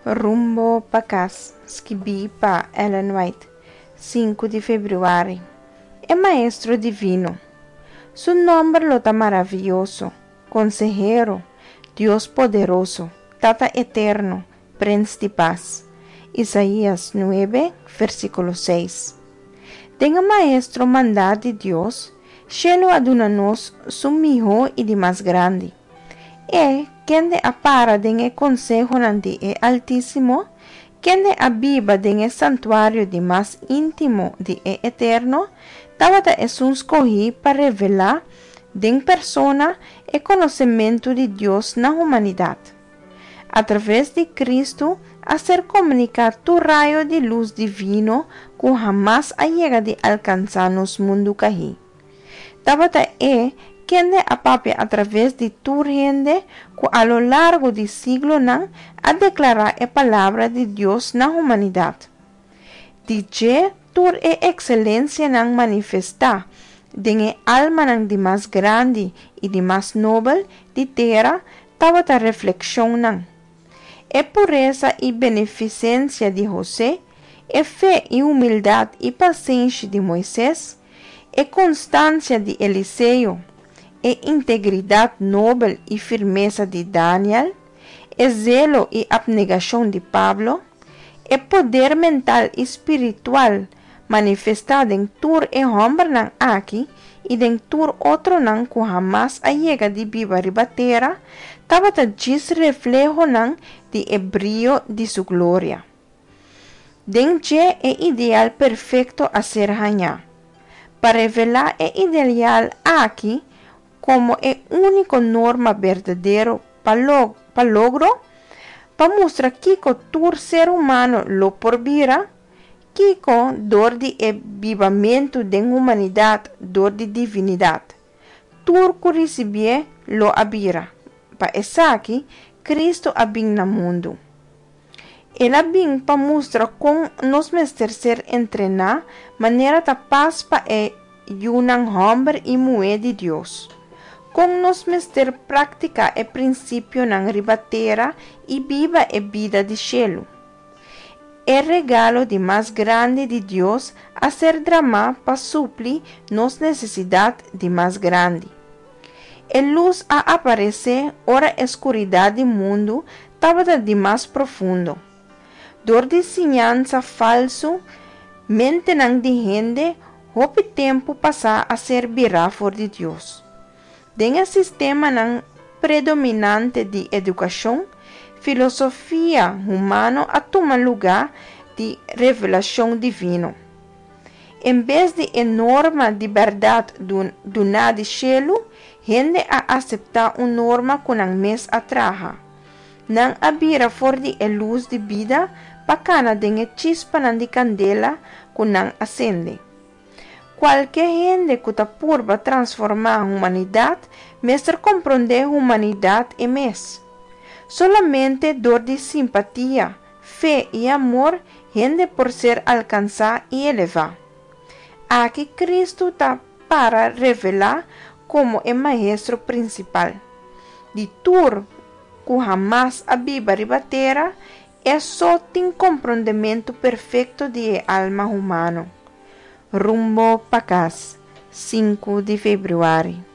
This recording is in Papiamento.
Rumbo pa Kas, skibí pa Ellen White, 5 di febrüari. E Maestro Divino. Su nòmber lo ta Maravioso, Konsehero, Dios Poderoso, Tata Eterno, Prens di Pas. Isaías 9, versíkulo 6. Den e Maestro mandá di Dios, shelu a duna nos su mihó i di mas grandi. E, kende a para den e konsehonan di e Altísimo, kende a biba den e santuario di mas íntimo di e Eterno, tabata esun skohí pa revelá den persona e konosementu di Dios na humanidat. Atraves di Kristu a ser komuniká tur rayo di lus divino ku hamas a yega di alkansá nos mundu kahí. Tabata E kende a papia atraves di tur hende ku a lo largo di siglonan a deklará e Palabra di Dios na humanidat. Di dje tur e ekselensianan manifestá den e almanan di mas grandi i di mas nobel di tera tabata reflekshonnan. E puresa i benefisensia di Hosé, e fe i humildat i pasenshi di Moises, e konstansia di Eliseo, e integridat nobel i firmesa di Daniel, e zelo i apnegashon di Pablo, e poder mental i spiritual manifestá den tur e hòmbernan aki i den tur otronan ku hamas a yega di biba riba tera, tabata djis reflehonan di e brio di su gloria. Den dje e ideal perfekto a ser hañá. Pa revelá e ideal aki komo e úniko norma berdadero pa pa logro, pa mustra kiko tur ser humano lo por bira, kiko dor di e bibamentu den humanidat dor di divinidat, tur ku risibié lo a bira. Pa esaki Kristu a bin na mundu. El a bin pa mustra kon nos mester ser entrená manera ta pas pa e yunan hòmber i muhé di Dios. Kon nos mester praktiká e prinsipionan riba tera i biba e bida di shelu. E regalo di mas grandi di Dios a ser dramá pa supli nos nesesidat di mas grandi. E lus a aparesé ora e skuridat di mundu tabata di mas profundo. Dor di siñansa falsu, mentenan di hende hopi tempu pasá a ser birá for di Dios. Den e sistemanan predominante di edukashon, filosofia humano a tuma lugá di revelashon divino. En bes di e norma di bèrdat duná di shelu, hende a aseptá un norma ku nan mes a traha. Nan a bira for di e lus di bida pa kana den e chispanan di kandela ku nan a sende. Kualke hende ku ta purba transformá humanidat mester komprondé humanidat e mes. Solamente dor di simpatia, fe i amor hende por ser alkansá i elevá. Aki Kristu ta para revelá komo e Maestro prinsipal. Di tur ku hamas a biba riba tera, e so tin komprondementu perfekto di e alma humano. Rumbo pa kas, 5 di febrüari.